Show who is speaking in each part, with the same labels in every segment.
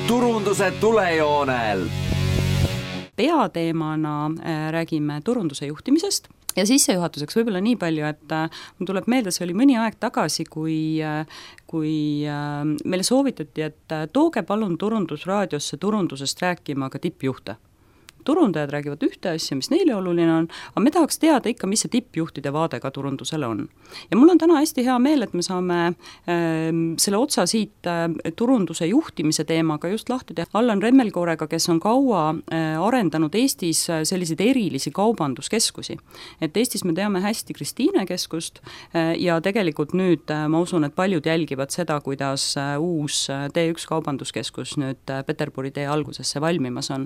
Speaker 1: turunduse tulejoonel.
Speaker 2: Peateemana räägime turunduse juhtimisest ja sissejuhatuseks võib-olla nii palju, et mul tuleb meelde, see oli mõni aeg tagasi, kui meile soovitati, et tooge palun turundusraadiosse turundusest rääkima ka tippjuhte. Turundajad räägivad ühte asja, mis neile oluline on, aga me tahaks teada ikka, mis see tippjuhtide vaade ka turundusele on. Ja mul on täna hästi hea meel, et me saame selle otsa siit turunduse juhtimise teemaga just lahti teha Allan Remmelkoorega, kes on kaua arendanud Eestis selliseid erilisi kaubanduskeskusi. Et Eestis me teame hästi Kristiine keskust ja tegelikult nüüd ma usun, et paljud jälgivad seda, kuidas uus T1 kaubanduskeskus nüüd Peterburi tee algusesse valmimas on.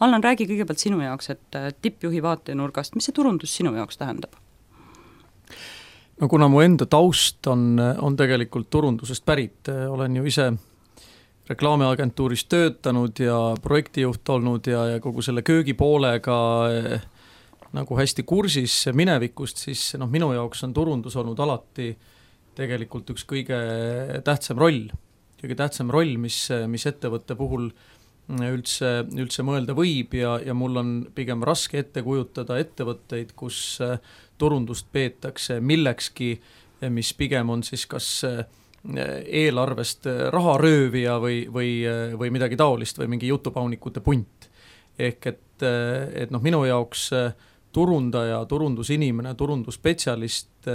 Speaker 2: Allan, räägi kõigepealt sinu jaoks, et tippjuhi vaatenurgast, mis see turundus sinu jaoks tähendab?
Speaker 3: No kuna mu enda taust on tegelikult turundusest pärit, olen ju ise reklaamiagentuuris töötanud ja projektijuht olnud ja kogu selle köögipoolega nagu hästi kursis minevikust, siis minu jaoks on turundus olnud alati tegelikult üks kõige tähtsam roll, mis ettevõtte puhul üldse mõelda võib ja mul on pigem raske ette kujutada ettevõtteid, kus turundust peetakse millekski, mis pigem on siis kas eelarvest raharöövija või midagi taolist või mingi jutupaunikute punt. Ehk et minu jaoks turundaja, turundusinimene, turundusspetsialist,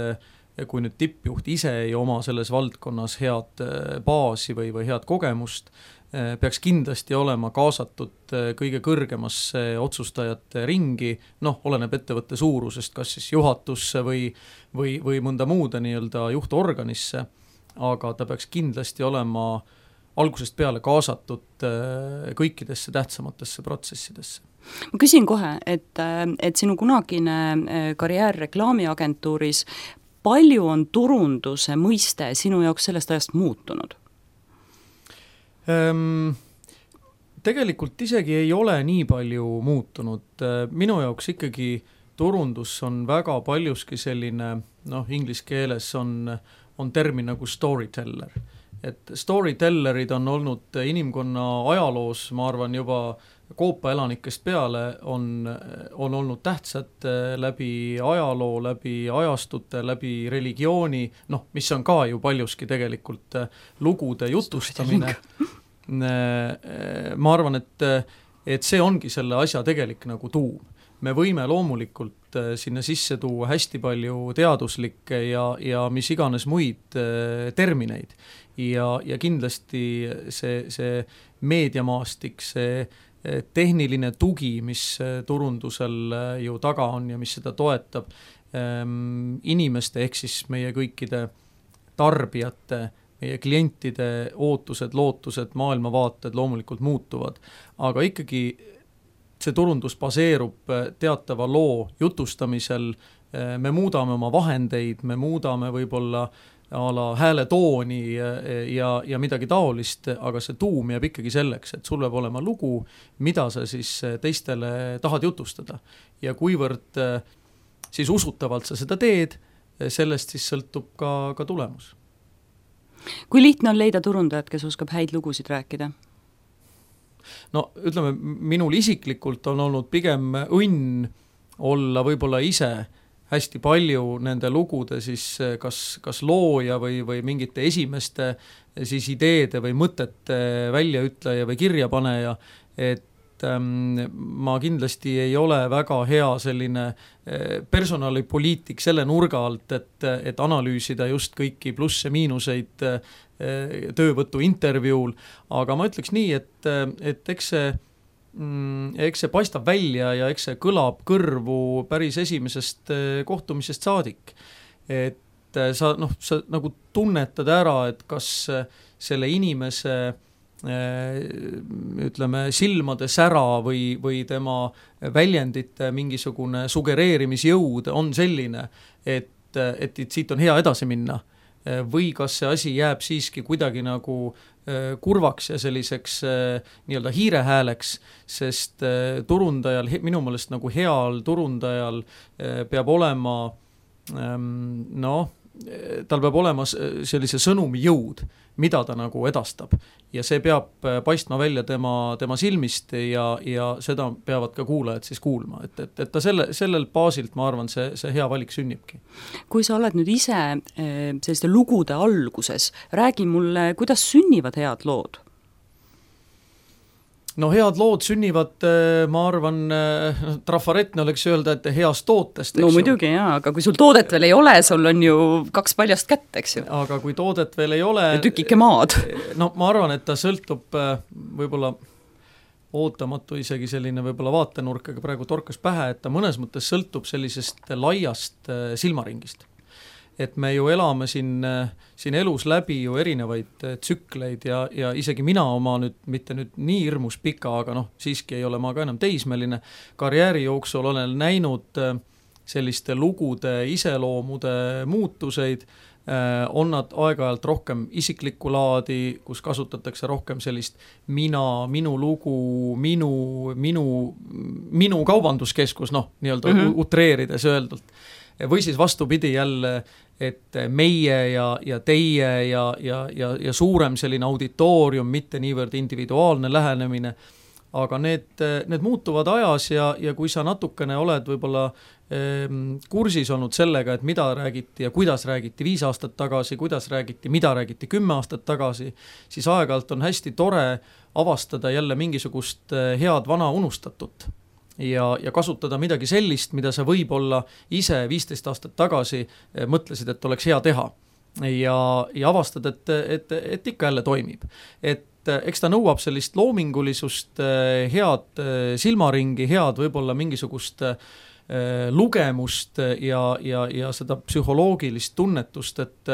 Speaker 3: kui nüüd tippjuht ise ei oma selles valdkonnas head baasi või head kogemust, peaks kindlasti olema kaasatud kõige kõrgemasse otsustajate ringi, oleneb ettevõtte suurusest, kas siis juhatusse või mõnda muude nii-öelda juhtorganisse, aga ta peaks kindlasti olema algusest peale kaasatud kõikidesse tähtsamatesse protsessidesse.
Speaker 2: Ma küsin kohe, et sinu kunagine karjäär reklaamiagentuuris, palju on turunduse mõiste sinu jaoks sellest ajast muutunud?
Speaker 3: Tegelikult isegi ei ole nii palju muutunud. Minu jaoks ikkagi turundus on väga paljuski selline, inglise keeles on termin nagu storyteller. Et storytellerid on olnud inimkonna ajaloos, ma arvan juba Koopa elanikest peale, on olnud tähtsad läbi ajaloo, läbi ajastute, läbi religiooni, mis on ka ju paljuski tegelikult lugude jutustamine. Ma arvan, et see ongi selle asja tegelik nagu tuum. Me võime loomulikult sinna sisse tuua hästi palju teaduslikke ja mis iganes muid termineid. Ja kindlasti see meediamaastik, see tehniline tugi, mis turundusel ju taga on ja mis seda toetab, inimeste ehk siis meie kõikide tarbijate, meie klientide ootused, lootused, maailmavaated loomulikult muutuvad, aga ikkagi see turundus baseerub teatava loo jutustamisel, me muudame oma vahendeid, me muudame võib-olla hääletooni ja midagi taolist, aga see tuum jääb ikkagi selleks, et sul peab olema lugu, mida sa siis teistele tahad jutustada. Ja kuivõrd siis usutavalt sa seda teed, sellest siis sõltub ka tulemus.
Speaker 2: Kui lihtne on leida turundajat, kes oskab häid lugusid rääkida?
Speaker 3: Ütleme, minul isiklikult on olnud pigem õnn olla võib-olla ise hästi palju nende lugude siis kas looja või mingite esimeste siis ideede või mõtete väljaütleja või kirjapaneja, et ma kindlasti ei ole väga hea selline personalipoliitik selle nurga alt, et analüüsida just kõiki plusse miinuseid töövõtu intervjuul, aga ma ütleks nii, et eks see paistab välja ja eks see kõlab kõrvu päris esimesest kohtumisest saadik. Et sa nagu tunnetad ära, et kas selle inimese ütleme silmade sära või tema väljendite mingisugune sugereerimisjõud on selline, et siit on hea edasi minna. Või kas see asi jääb siiski kuidagi nagu kurvaks ja selliseks nii-öelda hiirehääleks, sest turundajal, minu meelest nagu heal turundajal peab olema tal peab olema sellise sõnumi jõud, mida ta nagu edastab. Ja see peab paistma välja tema silmist ja seda peavad ka kuulajad siis kuulma, et ta sellel baasilt, ma arvan, see hea valik sünnibki.
Speaker 2: Kui sa oled nüüd ise selliste lugude alguses, räägi mulle, kuidas sünnivad head lood?
Speaker 3: No head lood sünnivad, ma arvan, trafaretne oleks öelda, et heast tootest.
Speaker 2: No muidugi jaa, aga kui sul toodet veel ei ole, sul on ju 2 paljast kätt, eks ju.
Speaker 3: Aga kui toodet veel ei ole...
Speaker 2: Ja tükike maad.
Speaker 3: No ma arvan, et ta sõltub võib-olla ootamatu isegi selline võib-olla vaatenurk, aga praegu torkas pähe, et ta mõnes mõttes sõltub sellisest laiast silmaringist. Et me ju elame siin elus läbi ju erinevaid tsükleid ja isegi mina oma mitte nii hirmus pika, aga siiski ei ole ma ka enam teismeline, karjääri jooksul olen näinud selliste lugude iseloomude muutuseid, on nad aeg-ajalt rohkem isiklikku laadi, kus kasutatakse rohkem sellist minu lugu, minu kaubanduskeskus, nii-öelda utreerides öeldult. Või siis vastupidi jälle, et meie ja teie ja suurem selline auditoorium, mitte niivõrd individuaalne lähenemine, aga need muutuvad ajas ja kui sa natukene oled võib-olla kursis olnud sellega, et mida räägiti ja kuidas räägiti 5 aastat tagasi, kuidas räägiti, mida räägiti 10 aastat tagasi, siis aeg-ajalt on hästi tore avastada jälle mingisugust head vana unustatut. Ja kasutada midagi sellist, mida sa võib-olla ise 15 aastat tagasi mõtlesid, et oleks hea teha. Ja avastad, et ikka jälle toimib. Et eks ta nõuab sellist loomingulisust, head silmaringi, head võib-olla mingisugust lugemust ja seda psühholoogilist tunnetust, et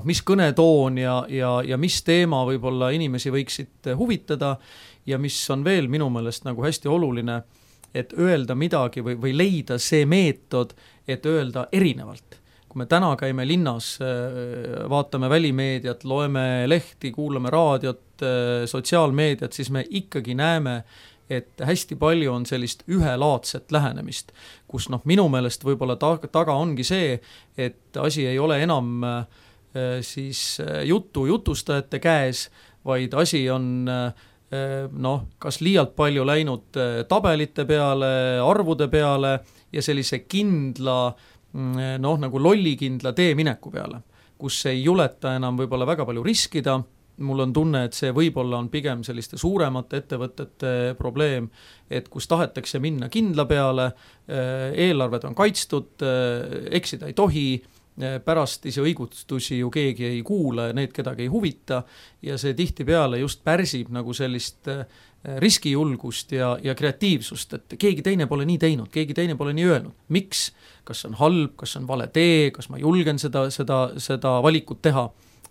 Speaker 3: mis kõnetoon ja mis teema võib-olla inimesi võiksid huvitada ja mis on veel minu meelest nagu hästi oluline, et öelda midagi või leida see meetod, et öelda erinevalt. Kui me täna käime linnas, vaatame välimeediat, loeme lehti, kuulame raadiot, sotsiaalmeediat, siis me ikkagi näeme, et hästi palju on sellist ühelaadset lähenemist, kus minu meelest võib-olla taga ongi see, et asi ei ole enam siis jutustajate käes, vaid asi on kas liialt palju läinud tabelite peale, arvude peale ja sellise kindla, nagu lollikindla teemineku peale, kus ei juleta enam võib-olla väga palju riskida. Mul on tunne, et see võib-olla on pigem selliste suuremate ettevõtete probleem, et kus tahetakse minna kindla peale, eelarved on kaitstud, eksida ei tohi, pärast ise õigustusi ju keegi ei kuula ja need kedagi ei huvita ja see tihtipeale just pärsib nagu sellist riskijulgust ja kreatiivsust, et keegi teine pole nii teinud, keegi teine pole nii öelnud. Miks? Kas on halb, kas on vale tee, kas ma julgen seda valikut teha?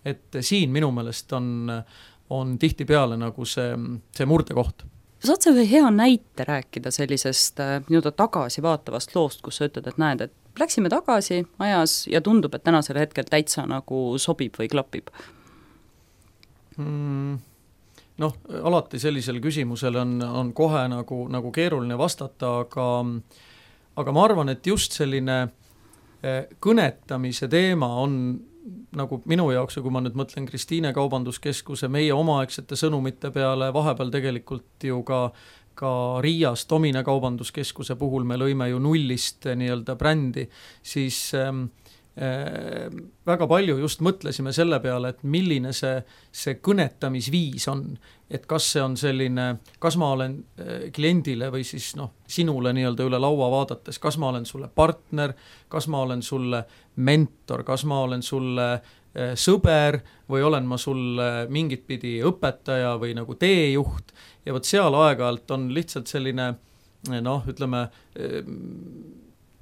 Speaker 3: Et siin minu meelest on tihtipeale nagu see murdekoht.
Speaker 2: Saad sa ühe hea näite rääkida sellisest tagasi vaatavast loost, kus sa ütled, et näed, et läksime tagasi ajas ja tundub, et tänasel hetkel täitsa nagu sobib või klapib?
Speaker 3: Alati sellisel küsimusel on kohe nagu keeruline vastata, aga ma arvan, et just selline kõnetamise teema on nagu minu jaoks, kui ma nüüd mõtlen Kristiine kaubanduskeskuse, meie omaaegsete sõnumite peale, vahepeal tegelikult ju ka Riias Domine kaubanduskeskuse puhul me lõime ju nullist nii-öelda brändi, siis väga palju just mõtlesime selle peale, et milline see kõnetamisviis on, et kas see on selline, kas ma olen kliendile või siis sinule nii-öelda üle laua vaadates, kas ma olen sulle partner, kas ma olen sulle mentor, kas ma olen sulle sõber või olen ma sulle mingit pidi õpetaja või nagu teejuht ja võt seal aeg-ajalt on lihtsalt selline ütleme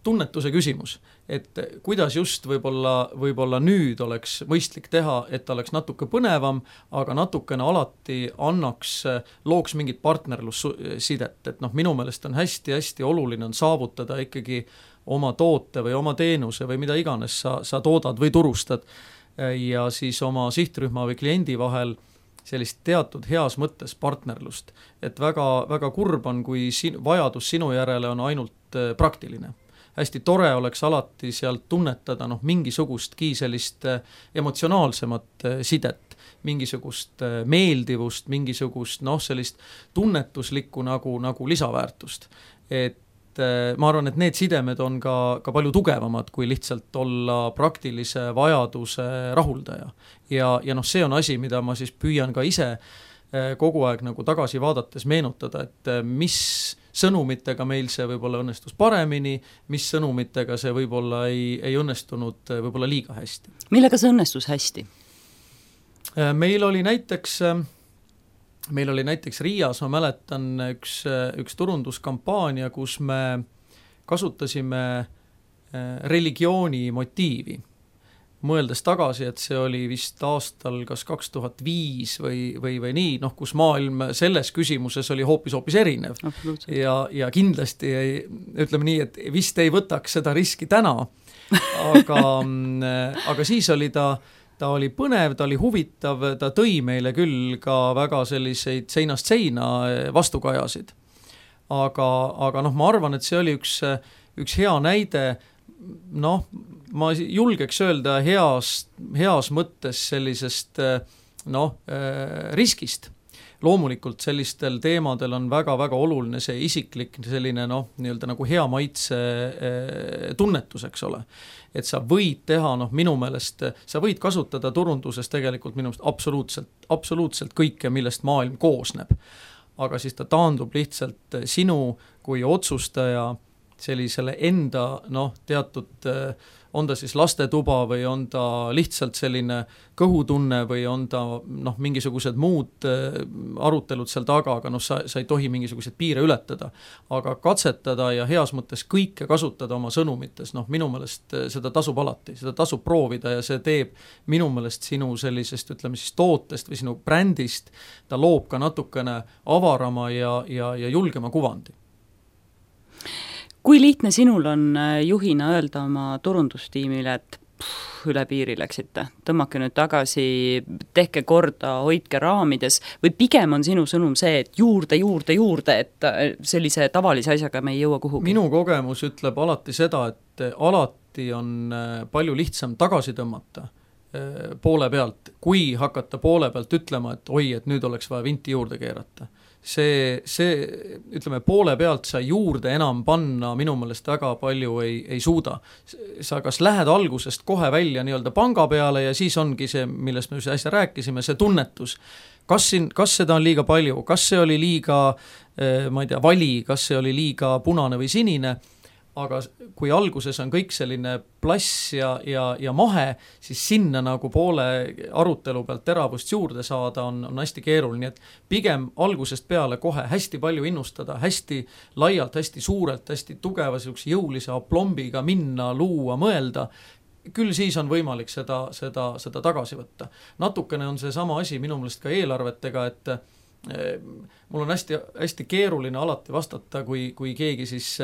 Speaker 3: tunnetuse küsimus, et kuidas just võib-olla nüüd oleks mõistlik teha, et oleks natuke põnevam, aga natukene alati looks mingit partnerlussidet, et minu meelest on hästi-hästi oluline on saavutada ikkagi oma toote või oma teenuse või mida iganes sa toodad või turustad ja siis oma sihtrühma või kliendi vahel sellist teatud heas mõttes partnerlust, et väga, väga kurb on, kui vajadus sinu järele on ainult praktiline. Hästi tore oleks alati sealt tunnetada mingisugustki sellist emotsionaalsemat sidet, mingisugust meeldivust, mingisugust sellist tunnetuslikku nagu lisaväärtust. Et ma arvan, et need sidemed on ka palju tugevamad, kui lihtsalt olla praktilise vajaduse rahuldaja. Ja see on asi, mida ma siis püüan ka ise kogu aeg nagu tagasi vaadates meenutada, et mis sõnumitega meil see võib-olla õnnestus paremini, mis sõnumitega see võib-olla ei õnnestunud võib-olla liiga hästi.
Speaker 2: Millega see õnnestus hästi?
Speaker 3: Meil oli näiteks Riias, ma mäletan, üks turunduskampaania, kus me kasutasime religiooni motiivi. Mõeldes tagasi, et see oli vist aastal kas 2005 või nii, kus maailm selles küsimuses oli hoopis erinev. Ja kindlasti ütleme nii, et vist ei võtaks seda riski täna, aga siis oli ta oli põnev, ta oli huvitav, ta tõi meile küll ka väga selliseid seinast seina vastukajasid. Aga ma arvan, et see oli üks hea näide, ma julgeks öelda heas mõttes sellisest riskist. Loomulikult sellistel teemadel on väga-väga oluline see isiklik selline nii-öelda nagu hea maitse tunnetus, eks ole. Et sa võid teha, minu meelest, sa võid kasutada turunduses tegelikult minu meelest absoluutselt kõike, millest maailm koosneb. Aga siis ta taandub lihtsalt sinu kui otsustaja sellisele enda teatud, on ta siis lastetuba või on ta lihtsalt selline kõhutunne või on ta mingisugused muud arutelud seal taga, aga sa ei tohi mingisuguseid piire ületada. Aga katsetada ja heas mõttes kõike kasutada oma sõnumites, minu meelest seda tasub alati, seda tasub proovida ja see teeb minu meelest sinu sellisest, ütleme siis tootest või sinu brändist, ta loob ka natukene avarama ja julgema kuvandi.
Speaker 2: Kui lihtne sinul on juhina öelda oma turundustiimile, et üle piiri läksite, tõmmake nüüd tagasi, tehke korda, hoidke raamides või pigem on sinu sõnum see, et juurde, et sellise tavalise asjaga me ei jõua kuhugi?
Speaker 3: Minu kogemus ütleb alati seda, et alati on palju lihtsam tagasi tõmmata poole pealt, kui hakata poole pealt ütlema, et oi, et nüüd oleks vaja vinti juurde keerata. See, ütleme, poole pealt sa juurde enam panna minu meelest väga palju ei suuda. Sa kas lähed algusest kohe välja nii-öelda panga peale ja siis ongi see, millest me äsja rääkisime, see tunnetus. Kas seda on liiga palju, kas see oli liiga, ma ei tea, vali, kas see oli liiga punane või sinine, aga kui alguses on kõik selline plass ja mahe, siis sinna nagu poole arutelu pealt teravust juurde saada on hästi keeruline, nii et pigem algusest peale kohe hästi palju innustada, hästi laialt, hästi suurelt, hästi tugeva jõulise aplombiga minna, luua, mõelda, küll siis on võimalik seda tagasi võtta. Natukene on see sama asi minu meelest ka eelarvetega, et mul on hästi keeruline alati vastata, kui keegi siis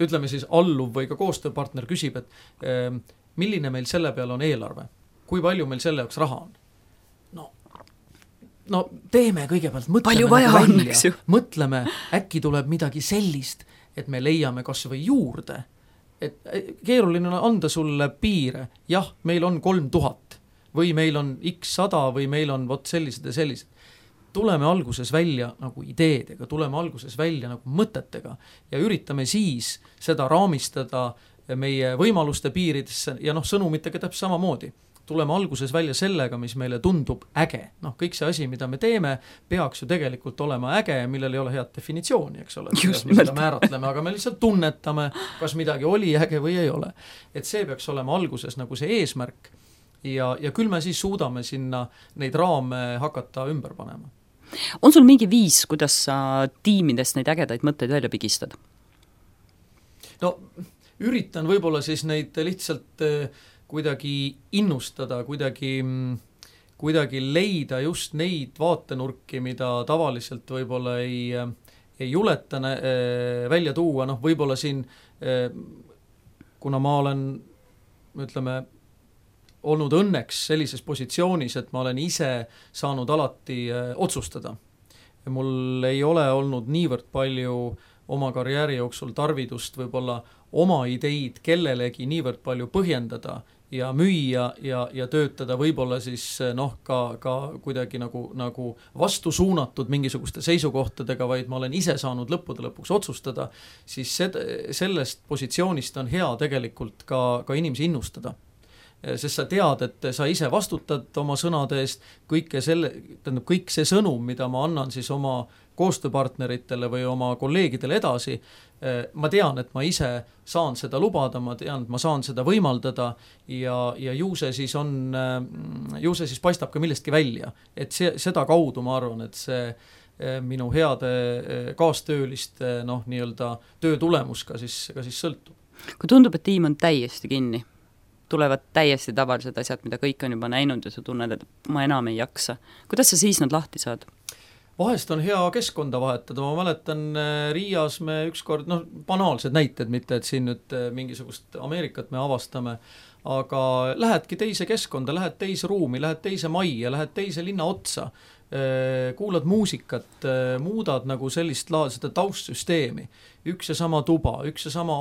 Speaker 3: ütleme siis alluv või ka koostööpartner küsib, et milline meil selle peale on eelarve, kui palju meil selle jaoks raha on. Teeme kõigepealt, mõtleme, äkki tuleb midagi sellist, et me leiame kas või juurde, et keeruline on anda sulle piire, jah, meil on 3000 või meil on x 100 või meil on sellised ja sellised. Tuleme alguses välja nagu ideedega, tuleme alguses välja nagu mõtetega ja üritame siis seda raamistada meie võimaluste piiridesse ja sõnumitega täpselt samamoodi. Tuleme alguses välja sellega, mis meile tundub äge. Kõik see asi, mida me teeme, peaks ju tegelikult olema äge, millel ei ole head definitsiooni, eks ole. Me seda määratleme, aga me lihtsalt tunnetame, kas midagi oli äge või ei ole. Et see peaks olema alguses nagu see eesmärk ja küll me siis suudame sinna neid raame hakata ümber panema.
Speaker 2: On sul mingi viis, kuidas sa tiimidest neid ägedaid mõtteid välja pigistad?
Speaker 3: Üritan võib-olla siis neid lihtsalt kuidagi innustada, kuidagi leida just neid vaatenurki, mida tavaliselt võib-olla ei juleta välja tuua. Võib-olla siin, kuna ma olen, ütleme, olnud õnneks sellises positsioonis, et ma olen ise saanud alati otsustada. Mul ei ole olnud niivõrd palju oma karjääri jooksul tarvidust võib-olla oma ideid kellelegi niivõrd palju põhjendada ja müüa ja töötada võib-olla siis noh, ka kuidagi nagu vastu suunatud mingisuguste seisukohtadega, vaid ma olen ise saanud lõppude lõpuks otsustada, siis sellest positsioonist on hea tegelikult ka inimesi innustada. Sest sa tead, et sa ise vastutad oma sõnade eest, kõik see sõnum, mida ma annan siis oma koostööpartneritele või oma kolleegidele edasi, ma tean, et ma ise saan seda lubada, ma tean, et ma saan seda võimaldada ja ju see siis paistab ka millestki välja. Et seda kaudu ma arvan, et see minu heade kaastööliste nii-öelda töö tulemus ka siis sõltub.
Speaker 2: Kui tundub, et tiim on täiesti kinni, tulevad täiesti tavalised asjad, mida kõik on juba näinud ja sa tunned, et ma enam ei jaksa. Kuidas sa siis nad lahti saad?
Speaker 3: Vahest on hea keskkonda vahetada, ma mäletan Riias me ükskord, banaalsed näited, mitte et siin nüüd mingisugust Ameerikat me avastame, aga lähedki teise keskkonda, lähed teise ruumi, lähed teise majja, lähed teise linna otsa, kuulad muusikat, muudad nagu seda taustsüsteemi, üks ja sama tuba, üks ja sama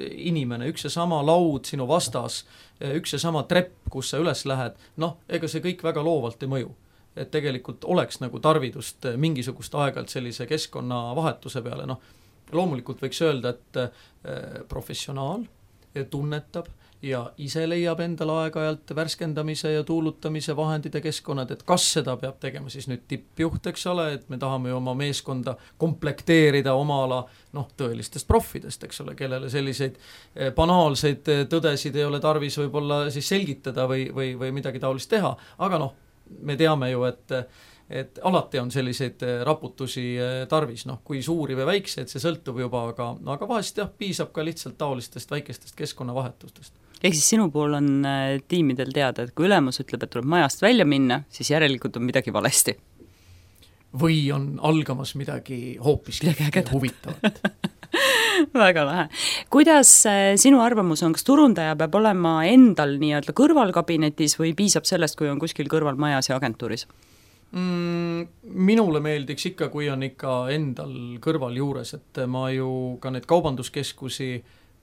Speaker 3: inimene, üks ja sama laud sinu vastas, üks ja sama trepp, kus sa üles lähed, ega see kõik väga loovalt ei mõju. Et tegelikult oleks nagu tarvidust mingisugust aegalt sellise keskkonna vahetuse peale. Loomulikult võiks öelda, et professionaal tunnetab ja ise leiab endal aeg-ajalt värskendamise ja tuulutamise vahendid ja keskkonnad, et kas seda peab tegema siis nüüd tippjuht, eks ole, et me tahame ju oma meeskonda komplekteerida oma ala tõelistest profidest, eks ole, kellele selliseid banaalseid tõdesid ei ole tarvis võib-olla siis selgitada või midagi taolist teha, aga me teame ju, et alati on selliseid raputusi tarvis, kui suuri või väikseid, see sõltub juba, aga vahest piisab ka lihtsalt taolistest väikestest keskkonnavahetustest.
Speaker 2: Ehk siis sinu pool on tiimidel teada, et kui ülemus ütleb, et tuleb majast välja minna, siis järelikult on midagi valesti.
Speaker 3: Või on algamas midagi hoopis huvitavat.
Speaker 2: Väga lahe. Kuidas sinu arvamus on, kas turundaja peab olema endal nii-öelda kõrvalkabinetis või piisab sellest, kui on kuskil kõrval majas ja agentuuris?
Speaker 3: Minule meeldiks ikka, kui on ikka endal kõrval juures, et ma ju ka need kaubanduskeskusi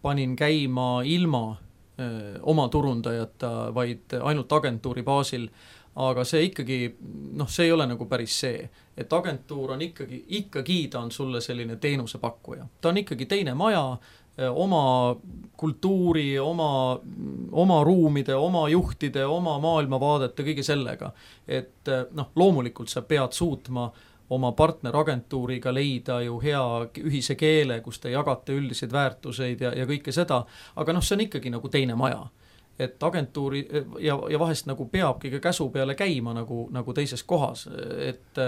Speaker 3: panin käima ilma oma turundajata, vaid ainult agentuuri baasil, aga see ikkagi, see ei ole nagu päris see, et agentuur on ikkagi ta on sulle selline teenusepakkuja. Ta on ikkagi teine maja, oma kultuuri, oma ruumide, oma juhtide, oma maailmavaadete, kõige sellega. Et loomulikult sa pead suutma oma partneragentuuriga leida ju hea ühise keele, kus te jagate üldiseid väärtuseid ja kõike seda, aga see on ikkagi nagu teine maja. Et agentuuri ja vahest nagu peabki ka käsu peale käima nagu teises kohas, et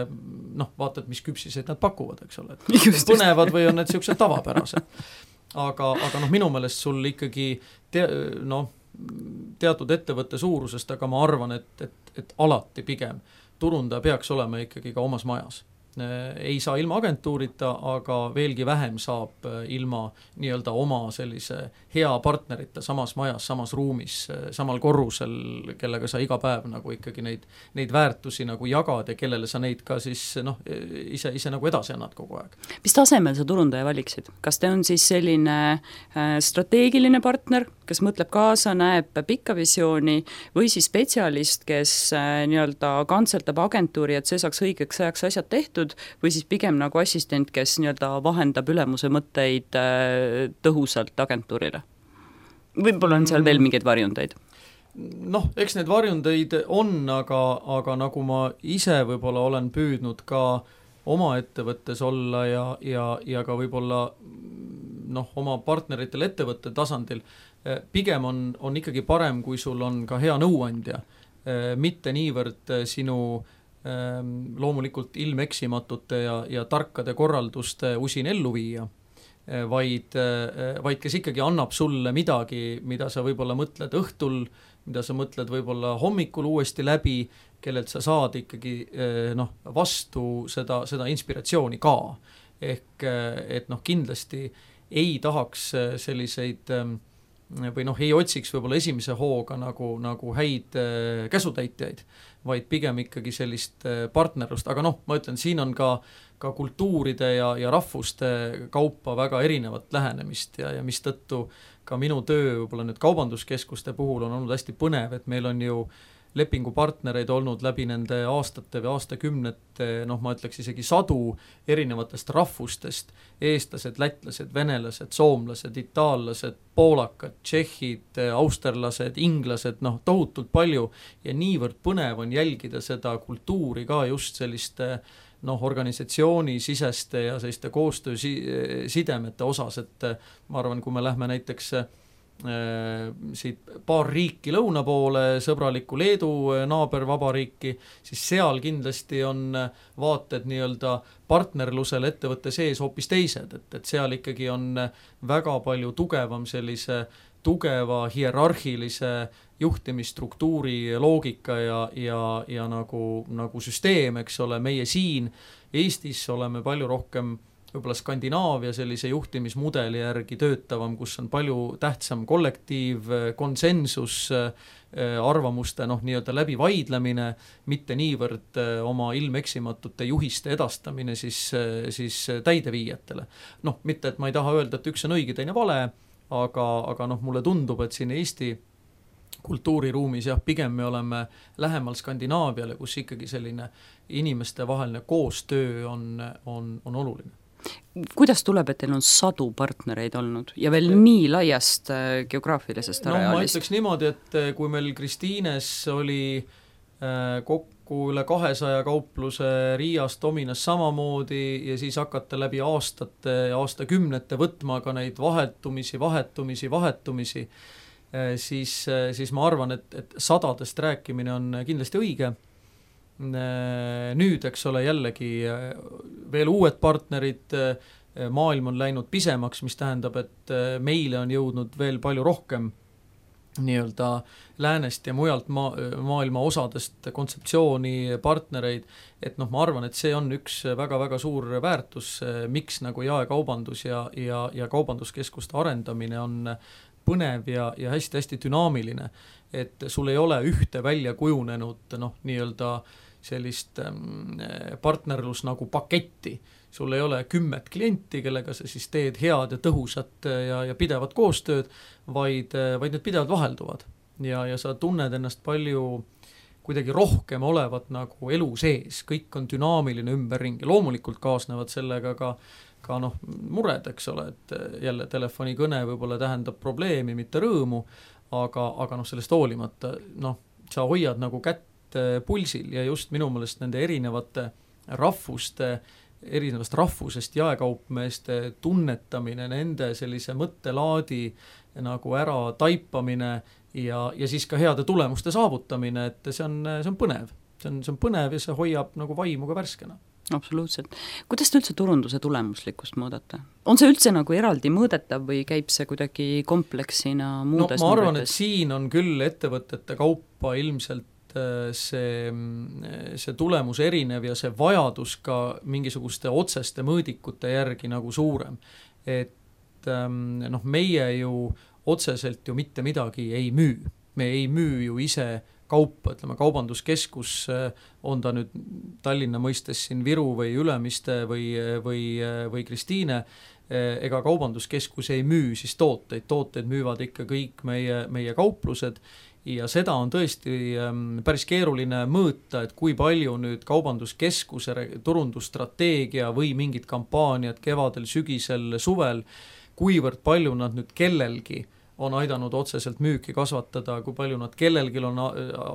Speaker 3: vaatad, mis küpsiseid nad pakuvad, eks ole, et põnevad või on need siuksed tavapärased. Aga minu meelest sul ikkagi teatud ettevõtte suurusest, aga ma arvan, et alati pigem turundaja peaks olema ikkagi ka omas majas. Ei saa ilma agentuurita, aga veelgi vähem saab ilma nii-öelda oma sellise hea partnerita samas majas, samas ruumis, samal korrusel, kellega sa iga päev nagu ikkagi neid väärtusi nagu jagad ja kellele sa neid ka siis ise nagu edasi annad kogu aeg.
Speaker 2: Mis tasemel sa turundaja valiksid? Kas te on siis selline strateegiline partner, kes mõtleb kaasa, näeb pikka visiooni või siis spetsialist, kes nii-öelda kantseldab agentuuri, et see saaks õigeks ajaks asjad tehtud, või siis pigem nagu assistent, kes nii-öelda vahendab ülemuse mõtteid tõhusalt agentuurile? Võib-olla on seal veel mingeid varjundeid?
Speaker 3: Eks need varjundeid on, aga nagu ma ise võib-olla olen püüdnud ka oma ettevõttes olla ja ka võib-olla oma partneritel ettevõtte tasandil, pigem on ikkagi parem, kui sul on ka hea nõuandja, mitte niivõrd sinu loomulikult ilmeksimatute ja tarkade korralduste usin ellu viia, vaid kes ikkagi annab sulle midagi, mida sa võib-olla mõtled õhtul, mida sa mõtled võib-olla hommikul uuesti läbi, kellelt sa saad ikkagi vastu seda inspiratsiooni ka. Ehk et kindlasti ei tahaks selliseid või ei otsiks võib-olla esimese hooga nagu häid käsutäitjaid, vaid pigem ikkagi sellist partnerlust, aga ma ütlen, siin on ka kultuuride ja rahvuste kaupa väga erinevat lähenemist ja mis tõttu ka minu töö võib-olla nüüd kaubanduskeskuste puhul on olnud hästi põnev, et meil on ju lepingupartnereid olnud läbi nende aastate või aastakümnete, ma ütleks isegi 100 erinevatest rahvustest, eestlased, lätlased, venelased, soomlased, itaallased, poolakad, tšehhid, austerlased, inglased, tohutult palju ja niivõrd põnev on jälgida seda kultuuri ka just selliste organisatsioonisiseste ja selliste koostöösidemete osas, et ma arvan, kui me lähme näiteks siit paar riiki lõuna poole, sõbralikku Leedu naabervabariiki, siis seal kindlasti on vaated nii-öelda partnerlusele ettevõtte sees hoopis teised, et seal ikkagi on väga palju tugevam sellise tugeva hierarhilise juhtimisstruktuuri loogika ja nagu süsteem, eks ole, meie siin Eestis oleme palju rohkem võib-olla Skandinaavia sellise juhtimismudeli järgi töötavam, kus on palju tähtsam kollektiiv, konsensus, arvamuste nii-öelda läbivaidlemine, mitte niivõrd oma ilmeksimatute juhiste edastamine siis täideviijatele. Mitte, et ma ei taha öelda, et üks on õige, teine vale, aga mulle tundub, et siin Eesti kultuuriruumis pigem me oleme lähemal Skandinaaviale, kus ikkagi selline inimeste vaheline koostöö on oluline.
Speaker 2: Kuidas tuleb, et teil on 100 partnereid olnud ja veel nii laiast geograafilisest areaalist? Ma
Speaker 3: ütleks niimoodi, et kui meil Kristiines oli kokku üle 200 kaupluse, Riias, Dominas samamoodi ja siis hakata läbi aastate ja aastakümnete võtma ka neid vahetumisi, siis ma arvan, et 100-dest rääkimine on kindlasti õige. Nüüd, eks ole, jällegi veel uued partnerid, maailm on läinud pisemaks, mis tähendab, et meile on jõudnud veel palju rohkem nii-öelda läänest ja mujalt maailma osadest kontseptsiooni partnereid, et ma arvan, et see on üks väga-väga suur väärtus, miks nagu jaekaubandus ja kaubanduskeskuste arendamine on põnev ja hästi-hästi dünaamiline, et sul ei ole ühte välja kujunenud nii-öelda sellist partnerlus nagu paketti. Sul ei ole 10 klienti, kellega sa siis teed head ja tõhusat ja pidevat koostööd, vaid need pidevalt vahelduvad. Ja sa tunned ennast palju kuidagi rohkem olevat nagu elu sees, kõik on dünaamiline ümberringi. Loomulikult kaasnevad sellega ka mured, eks ole, et jälle telefonikõne võib-olla tähendab probleemi, mitte rõõmu, aga sellest hoolimata, sa hoiad nagu kätt pulsil ja just minu meelest nende erinevate erinevast rahvusest jaekaupmeeste tunnetamine, nende sellise mõttelaadi nagu ära taipamine ja siis ka heade tulemuste saavutamine, et see on põnev. See on põnev ja see hoiab nagu vaimu ka värskena.
Speaker 2: Absoluutselt. Kuidas te üldse turunduse tulemuslikkust mõõdate? On see üldse nagu eraldi mõõdetav või käib see kuidagi kompleksina muudes
Speaker 3: ma arvan, et siin on küll ettevõtete kaupa ilmselt see tulemus erinev ja see vajadus ka mingisuguste otseste mõõdikute järgi nagu suurem. Et meie ju otseselt ju mitte midagi ei müü. Me ei müü ju ise kaupa, ütleme kaubanduskeskus, on ta nüüd Tallinna mõistes siin Viru või Ülemiste või Kristiine, ega kaubanduskeskus ei müü siis tooteid müüvad ikka kõik meie kauplused ja seda on tõesti päris keeruline mõõta, et kui palju nüüd kaubanduskeskuse turundusstrateegia või mingid kampaaniad kevadel, sügisel, suvel, kuivõrd palju nad nüüd kellelgi on aidanud otseselt müüki kasvatada, kui palju nad kellelgi on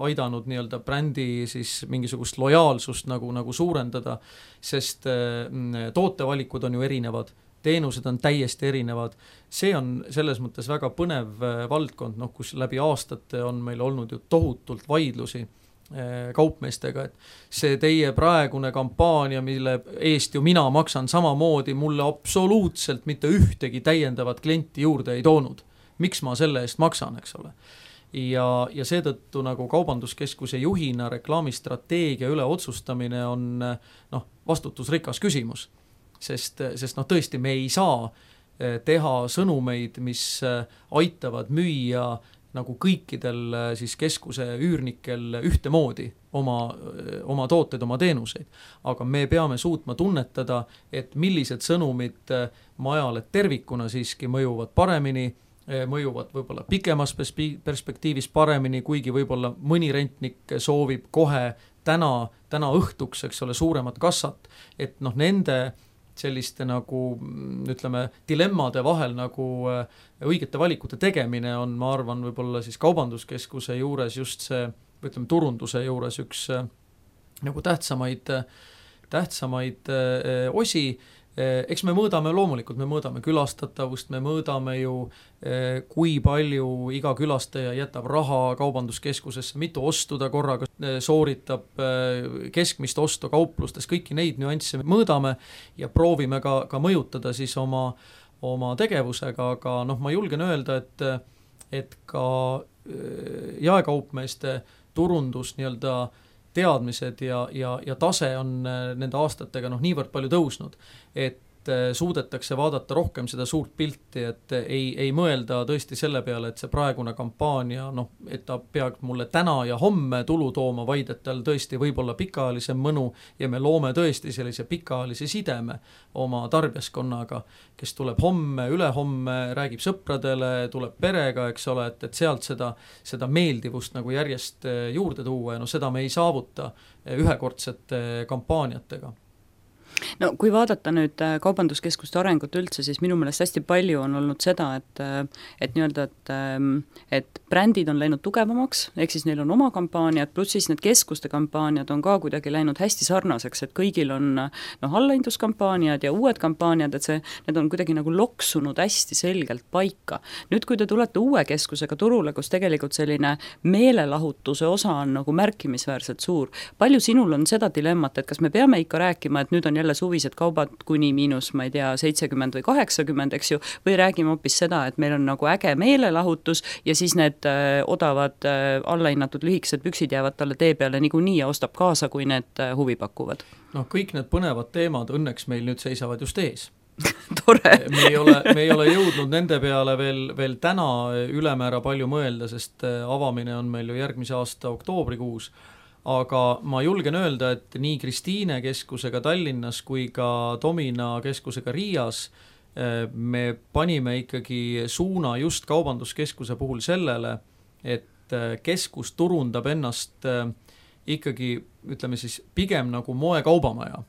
Speaker 3: aidanud nii-öelda brändi siis mingisugust lojaalsust nagu suurendada, sest tootevalikud on ju erinevad, teenused on täiesti erinevad. See on selles mõttes väga põnev valdkond, kus läbi aastate on meil olnud ju tohutult vaidlusi kaupmeestega, et see teie praegune kampaania, mille eest ju mina maksan samamoodi, mulle absoluutselt mitte ühtegi täiendavat klienti juurde ei toonud. Miks ma selle eest maksan, eks ole? Ja seetõttu nagu kaubanduskeskuse juhina reklaamistrateegia üle otsustamine on vastutusrikas küsimus. Sest tõesti me ei saa teha sõnumeid, mis aitavad müüa nagu kõikidel siis keskuse üürnikel ühtemoodi oma tooteid, oma teenuseid. Aga me peame suutma tunnetada, et millised sõnumid majale tervikuna siiski mõjuvad paremini, mõjuvad võib-olla pikemas perspektiivis paremini, kuigi võib-olla mõni rentnik soovib kohe täna õhtuks, eks ole, suuremat kassat, et noh, nende selliste nagu ütleme dilemmade vahel nagu õigete valikute tegemine on, ma arvan, võib-olla siis kaubanduskeskuse juures just see, ütleme turunduse juures üks nagu tähtsamaid osi. Eks me loomulikult me mõõdame külastatavust, me mõõdame ju, kui palju iga külastaja jätab raha kaubanduskeskusesse, mitu ostu ta korraga sooritab, keskmist ostu kauplustes, kõiki neid nüansse mõõdame ja proovime ka mõjutada siis oma tegevusega, aga noh, ma julgen öelda, et ka jaekaupmeeste turundus nii-öelda teadmised ja tase on nende aastatega niivõrd palju tõusnud, et suudetakse vaadata rohkem seda suurt pilti, et ei mõelda tõesti selle peale, et see praegune kampaania, et ta peaks mulle täna ja homme tulu tooma, vaid et tal tõesti võib olla pikaajalisem mõnu ja me loome tõesti sellise pikaajalise sideme oma tarbijaskonnaga, kes tuleb homme, ülehomme, räägib sõpradele, tuleb perega, eks ole, et sealt seda meeldivust nagu järjest juurde tuua ja seda me ei saavuta ühekordsete kampaaniatega.
Speaker 2: No kui vaadata nüüd kaubanduskeskuste arengut üldse, siis minu meelest hästi palju on olnud seda, et nii-öelda, et brändid on läinud tugevamaks, ehk siis neil on oma kampaaniad, pluss siis need keskuste kampaaniad on ka kuidagi läinud hästi sarnaseks, et kõigil on allahindluskampaaniad ja uued kampaaniad, et need on kuidagi nagu loksunud hästi selgelt paika. Nüüd, kui te tulete uue keskusega turule, kus tegelikult selline meelelahutuse osa on nagu märkimisväärselt suur, palju sinul on seda dilemmat, et kas me peame ikka rääkima, et nüüd on jälle suvised kaubad kuni miinus, ma ei tea, 70 või 80, eks ju, või räägime hoopis seda, et meil on nagu äge meelelahutus ja siis need odavad allahinnatud lühikesed püksid jäävad talle tee peale niikuinii ja ostab kaasa, kui need huvi pakuvad.
Speaker 3: Kõik need põnevad teemad õnneks meil nüüd seisavad just ees.
Speaker 2: Tore.
Speaker 3: me ei ole jõudnud nende peale veel täna ülemäära palju mõelda, sest avamine on meil ju järgmise aasta oktoobrikuus. Aga ma julgen öelda, et nii Kristiine keskusega Tallinnas kui ka Domina keskusega Riias me panime ikkagi suuna just kaubanduskeskuse puhul sellele, et keskus turundab ennast ikkagi, ütleme siis, pigem nagu moekaubamaja,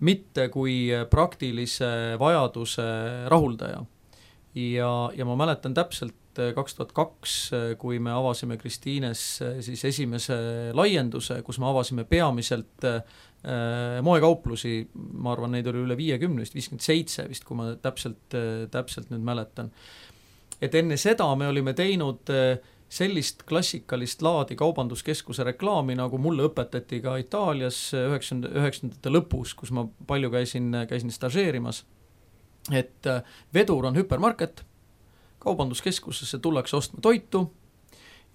Speaker 3: mitte kui praktilise vajaduse rahuldaja. Ja ma mäletan täpselt 2002, kui me avasime Kristiines siis esimese laienduse, kus me avasime peamiselt moekauplusi, ma arvan, neid oli üle 50, 57 vist, kui ma täpselt nüüd mäletan. Et enne seda me olime teinud sellist klassikalist laadi kaubanduskeskuse reklaami, nagu mulle õpetati ka Itaalias 90ndate lõpus, kus ma palju käisin stažeerimas, et vedur on hüpermarket, kaubanduskeskusesse tullakse ostma toitu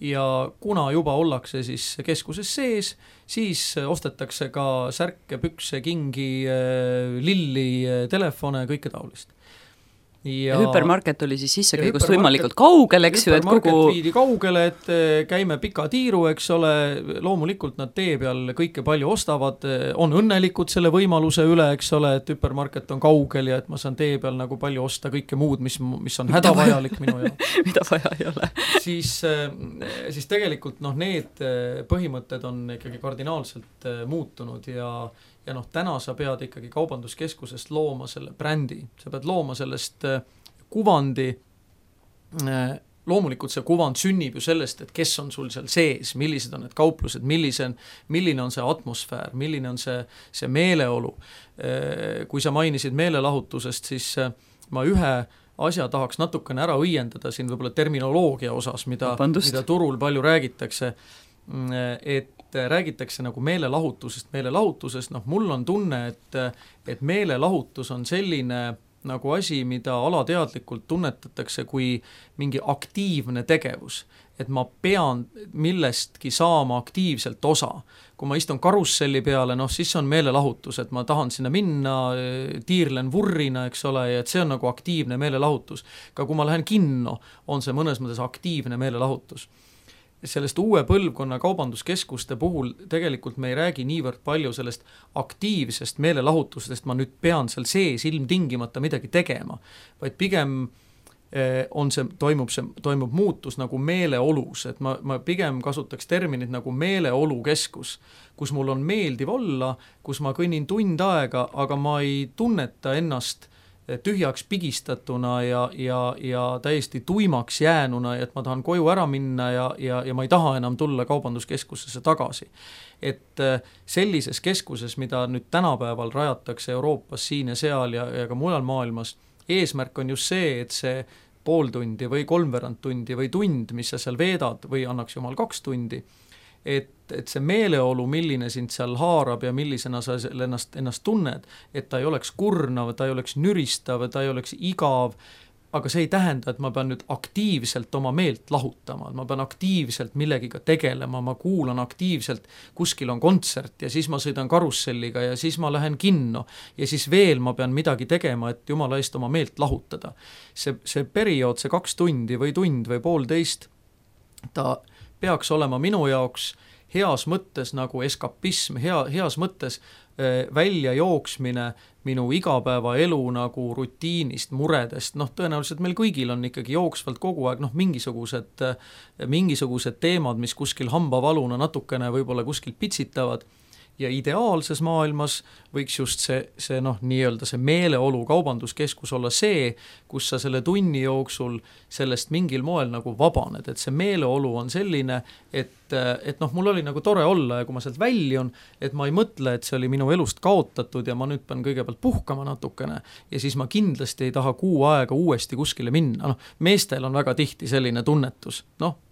Speaker 3: ja kuna juba ollakse siis keskuses sees, siis ostetakse ka särke, pükse, kingi, lilli, telefone ja kõike taolist. Ja
Speaker 2: hüpermarket oli siis sissekäigust võimalikult kaugel, eks ju, et
Speaker 3: kogu viidi kaugele, et käime pika tiiru, eks ole, loomulikult nad tee peal kõike palju ostavad, on õnnelikud selle võimaluse üle, eks ole, et hüpermarket on kaugel ja et ma saan tee peal nagu palju osta kõike muud, mis on hädavajalik minu jaoks.
Speaker 2: Mida vaja ei ole.
Speaker 3: Siis tegelikult need põhimõtted on ikkagi kardinaalselt muutunud ja täna sa pead ikkagi kaubanduskeskusest looma selle brändi, sa pead looma sellest kuvandi, loomulikult see kuvand sünnib ju sellest, et kes on sul seal sees, millised on need kauplused, milline on see atmosfäär, milline on see meeleolu. Kui sa mainisid meelelahutusest, siis ma ühe asja tahaks natukene ära õiendada siin võib-olla terminoloogia osas, mida turul palju räägitakse, et räägitakse nagu meelelahutusest, mul on tunne, et meelelahutus on selline nagu asi, mida alateadlikult tunnetatakse kui mingi aktiivne tegevus, et ma pean millestki saama aktiivselt osa. Kui ma istun karusselli peale, siis on meelelahutus, et ma tahan sinna minna, tiirlen vurrina, eks ole, ja et see on nagu aktiivne meelelahutus. Ka kui ma lähen kinno, on see mõnes mõttes aktiivne meelelahutus. Sellest uue põlvkonna kaubanduskeskuste puhul tegelikult me ei räägi niivõrd palju sellest aktiivsest meelelahutusest, ma nüüd pean seal sees ilmtingimata midagi tegema, vaid pigem toimub muutus nagu meeleolus, et ma pigem kasutaks terminit nagu meeleolukeskus, kus mul on meeldiv olla, kus ma kõnnin tund aega, aga ma ei tunneta ennast tühjaks pigistatuna ja täiesti tuimaks jäänuna, et ma tahan koju ära minna ja ma ei taha enam tulla kaubanduskeskusesse tagasi. Et sellises keskuses, mida nüüd tänapäeval rajatakse Euroopas siin ja seal ja ka mujal maailmas, eesmärk on just see, et see pool tundi või 3/4 tundi või tund, mis sa seal veedad või annaks jumal 2 tundi, et see meeleolu, milline sind seal haarab ja millisena sa ennast tunned, et ta ei oleks kurnav, ta ei oleks nüristav, ta ei oleks igav, aga see ei tähenda, et ma pean nüüd aktiivselt oma meelt lahutama, ma pean aktiivselt millegiga tegelema, ma kuulan aktiivselt, kuskil on kontsert ja siis ma sõidan karusselliga ja siis ma lähen kinno ja siis veel ma pean midagi tegema, et jumala eest oma meelt lahutada. See periood, see 2 tundi või tund või 1,5, ta peaks olema minu jaoks heas mõttes nagu eskapism, heas mõttes välja jooksmine minu igapäevaelu nagu rutiinist, muredest, tõenäoliselt meil kõigil on ikkagi jooksvalt kogu aeg mingisugused teemad, mis kuskil hambavaluna natukene võib-olla kuskil pitsitavad ja ideaalses maailmas võiks just see nii-öelda see meeleolu kaubanduskeskus olla see, kus sa selle tunni jooksul sellest mingil moel nagu vabaned, et see meeleolu on selline, et mul oli nagu tore olla ja kui ma sealt väljun, et ma ei mõtle, et see oli minu elust kaotatud ja ma nüüd pean kõigepealt puhkama natukene ja siis ma kindlasti ei taha kuu aega uuesti kuskile minna. Meestel on väga tihti selline tunnetus,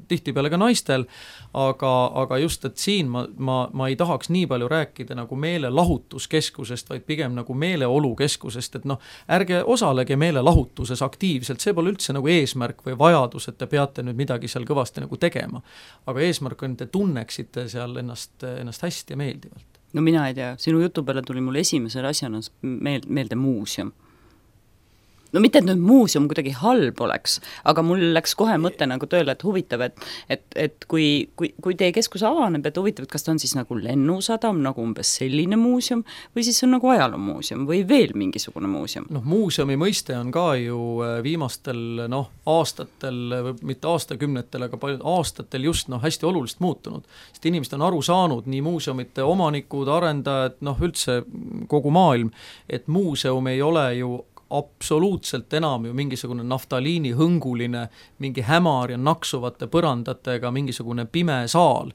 Speaker 3: tihtipeale ka naistel, aga just, et siin ma ei tahaks nii palju rääkida nagu meelelahutuskeskusest, vaid pigem nagu meeleolukeskusest, et ärge osalege meelelahutuses aktiivselt, see pole üldse nagu eesmärk või vajadus, et te peate nüüd midagi seal kõvasti nagu tegema. Aga eesmärk on, et te tunneksite seal ennast hästi ja meeldivalt.
Speaker 2: No mina ei tea, sinu jutu peale tuli mul esimesel asjana meelde muuseum. No mitte, et nüüd muuseum kuidagi halb oleks, aga mul läks kohe mõte nagu tööle, et huvitav, et kui teie keskus avaneb, et huvitav, et kas ta on siis nagu lennusadam, nagu umbes selline muuseum, või siis on nagu ajaloomuuseum või veel mingisugune muuseum?
Speaker 3: Muuseumi mõiste on ka ju viimastel aastatel, mitte aastakümnetel, aga paljud aastatel just hästi oluliselt muutunud. Sest inimesed on aru saanud, nii muuseumite omanikud, arendajad, üldse kogu maailm, et muuseum ei ole ju absoluutselt enam ju mingisugune naftaliini hõnguline, mingi hämar ja naksuvate põrandatega mingisugune pime saal,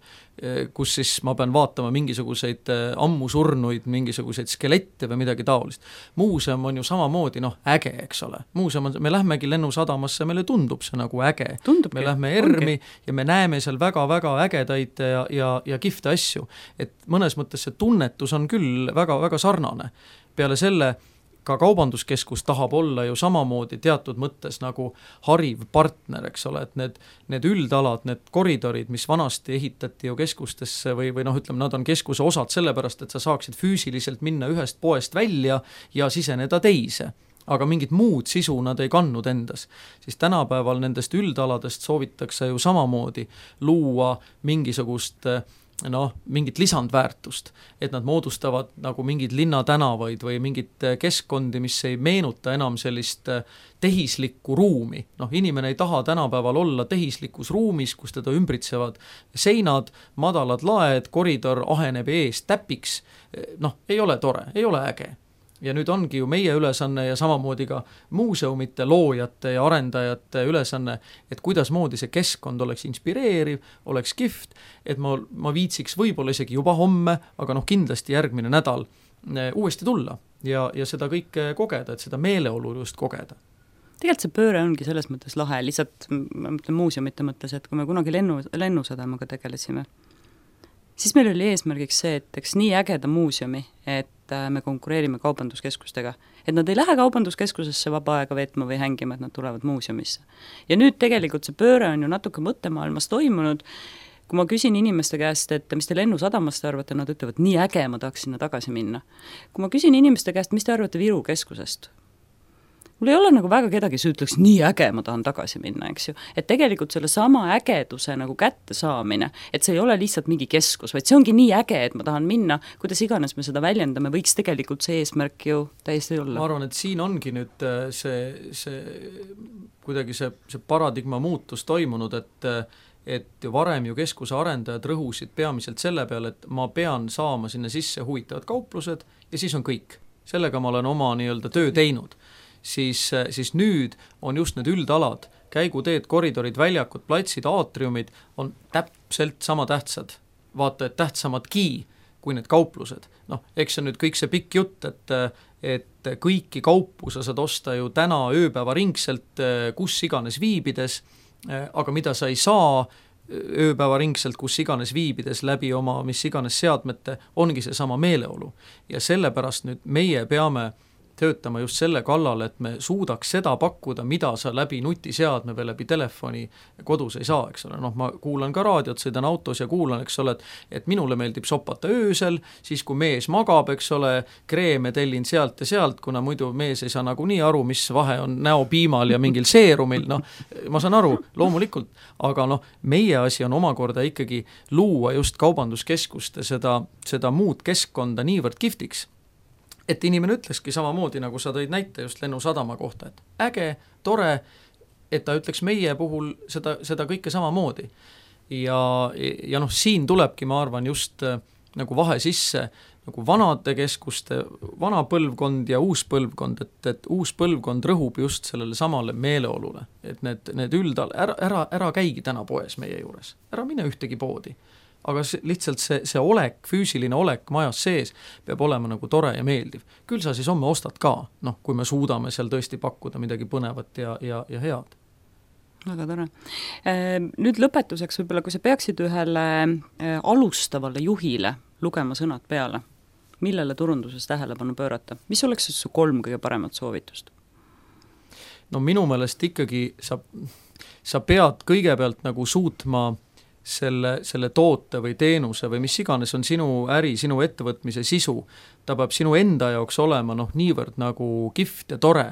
Speaker 3: kus siis ma pean vaatama mingisuguseid ammusurnuid, mingisuguseid skelette või midagi taolist. Muuseum on ju samamoodi äge, eks ole. Muuseum on, me lähmegi lennusadamasse, meile tundub see nagu äge. Me lähme ERM-i ja me näeme seal väga-väga ägedaid ja kihvte asju. Et mõnes mõttes see tunnetus on küll väga-väga sarnane. Peale selle ka kaubanduskeskus tahab olla ju samamoodi teatud mõttes nagu hariv partner, eks ole, et need üldalad, need koridorid, mis vanasti ehitati ju keskustesse või ütleme, nad on keskuse osad sellepärast, et sa saaksid füüsiliselt minna ühest poest välja ja siseneda teise. Aga mingit muud sisu nad ei kannud endas. Siis tänapäeval nendest üldaladest soovitakse ju samamoodi luua mingisugust mingit lisandväärtust, et nad moodustavad nagu mingid linnatänavaid või mingit keskkondi, mis ei meenuta enam sellist tehislikku ruumi. Inimene ei taha tänapäeval olla tehislikus ruumis, kus teda ümbritsevad seinad, madalad laed, koridor aheneb ees täpiks. Ei ole tore, ei ole äge. Ja nüüd ongi ju meie ülesanne ja samamoodi ka muuseumite loojate ja arendajate ülesanne, et kuidas moodi see keskkond oleks inspireeriv, oleks kihvt, et ma viitsiks võib-olla isegi juba homme, aga kindlasti järgmine nädal uuesti tulla ja seda kõike kogeda, et seda meeleolu just kogeda.
Speaker 2: Tegelikult see pööre ongi selles mõttes lahe, lihtsalt ma mõtlen muuseumite mõttes, et kui me kunagi lennusadamaga tegelesime, siis meil oli eesmärgiks see, et eks nii ägeda muuseumi, et me konkureerime kaubanduskeskustega. Et nad ei lähe kaubanduskeskusesse vaba aega veetma või hängima, et nad tulevad muuseumisse. Ja nüüd tegelikult see pööre on ju natuke mõttemaailmas toimunud. Kui ma küsin inimeste käest, et mis te lennusadamast arvate, nad ütlevad, nii äge, ma tahaks sinna tagasi minna. Kui ma küsin inimeste käest, mis te arvate Viru keskusest? mul ei ole nagu väga kedagi, kes ütleks, nii äge, ma tahan tagasi minna, eks ju. Et tegelikult selle sama ägeduse nagu kätte saamine, et see ei ole lihtsalt mingi keskus, vaid see ongi nii äge, et ma tahan minna, kuidas iganes me seda väljendame, võiks tegelikult see eesmärk ju täiesti olla.
Speaker 3: Ma arvan, et siin ongi nüüd kuidagi see paradigma muutus toimunud, et varem ju keskuse arendajad rõhusid peamiselt selle peale, et ma pean saama sinna sisse huvitavad kauplused ja siis on kõik. Sellega ma olen oma nii-öelda töö teinud. Siis nüüd on just need üldalad, käiguteed, koridorid, väljakud, platsid, aatriumid on täpselt sama tähtsad, vaata, et tähtsamadki kui need kauplused. Noh, eks see on nüüd kõik see pikk jutt, et kõiki kaupu sa saad osta ju täna ööpäeva ringselt, kus iganes viibides, aga mida sa ei saa ööpäeva ringselt, kus iganes viibides läbi oma mis iganes seadmete, ongi see sama meeleolu. Ja sellepärast nüüd meie peame töötama just selle kallal, et me suudaks seda pakkuda, mida sa läbi nutiseadme või läbi telefoni kodus ei saa, eks ole. Noh, ma kuulan ka raadiot, sõidan autos ja kuulan, eks ole, et minule meeldib sopata öösel, siis kui mees magab, eks ole, kreeme tellin sealt ja sealt, kuna muidu mees ei saa nagu nii aru, mis vahe on näopiimal ja mingil seerumil, noh, ma saan aru, loomulikult, aga noh, meie asi on omakorda ikkagi luua just kaubanduskeskuste seda muud keskkonda niivõrd kihvtiks, et inimene ütleski samamoodi, nagu sa tõid näite just Lennusadama kohta, et äge, tore, et ta ütleks meie puhul seda kõike samamoodi. Ja noh, siin tulebki, ma arvan, just nagu vahe sisse nagu vanade keskuste, vana põlvkond ja uus põlvkond, et uus põlvkond rõhub just sellele samale meeleolule, et need üldal, ära käigi täna poes meie juures, ära mine ühtegi poodi. Aga lihtsalt see olek, füüsiline olek majas sees peab olema nagu tore ja meeldiv. Küll sa siis homme ostad ka, noh, kui me suudame seal tõesti pakkuda midagi põnevat ja head.
Speaker 2: Väga tore. Nüüd lõpetuseks võib-olla, kui sa peaksid ühele alustavale juhile lugema sõnad peale, millele turunduses tähelepanu pöörata? Mis oleks su 3 kõige paremat soovitust?
Speaker 3: No minu meelest ikkagi sa pead kõigepealt nagu suutma selle toote või teenuse või mis iganes on sinu äri, sinu ettevõtmise sisu, ta peab sinu enda jaoks olema niivõrd nagu kihvt ja tore,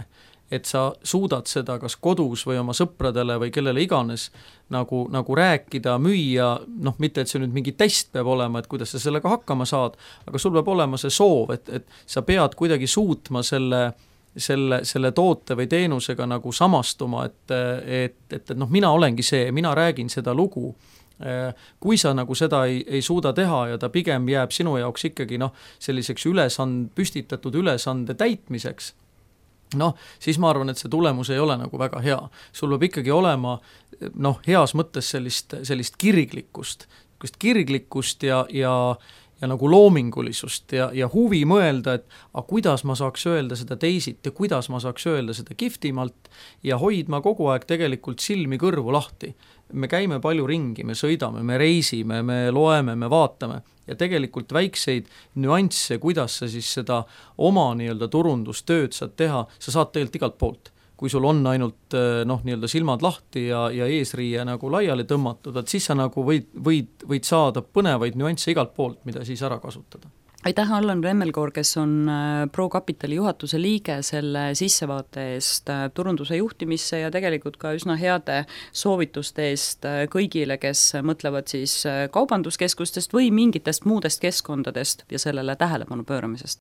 Speaker 3: et sa suudad seda kas kodus või oma sõpradele või kellele iganes nagu rääkida, müüa, noh, mitte et see nüüd mingi test peab olema, et kuidas sa sellega hakkama saad, aga sul peab olema see soov, et sa pead kuidagi suutma selle toote või teenusega nagu samastuma, et noh, mina olengi see, mina räägin seda lugu. Kui sa nagu seda ei suuda teha ja ta pigem jääb sinu jaoks ikkagi selliseks püstitatud ülesande täitmiseks, siis ma arvan, et see tulemus ei ole nagu väga hea. Sul peab ikkagi olema heas mõttes sellist kirglikkust ja nagu loomingulisust ja huvi mõelda, et kuidas ma saaks öelda seda teisit ja kuidas ma saaks öelda seda kihvtimalt ja hoidma kogu aeg tegelikult silmi kõrvu lahti. Me käime palju ringi, me sõidame, me reisime, me loeme, me vaatame ja tegelikult väikseid nüansse, kuidas sa siis seda oma nii-öelda turundustööd saad teha, sa saad tegelikult igalt poolt. Kui sul on ainult nii-öelda silmad lahti ja eesriie nagu laiali tõmmatud, et siis sa nagu võid saada põnevaid nüansse igalt poolt, mida siis ära kasutada.
Speaker 2: Aitäh, Allan Remmelkoor, kes on ProCapitali juhatuse liige, selle sissevaate eest turunduse juhtimisse ja tegelikult ka üsna heade soovituste eest kõigile, kes mõtlevad siis kaubanduskeskustest või mingitest muudest keskkondadest ja sellele tähelepanu pööramisest.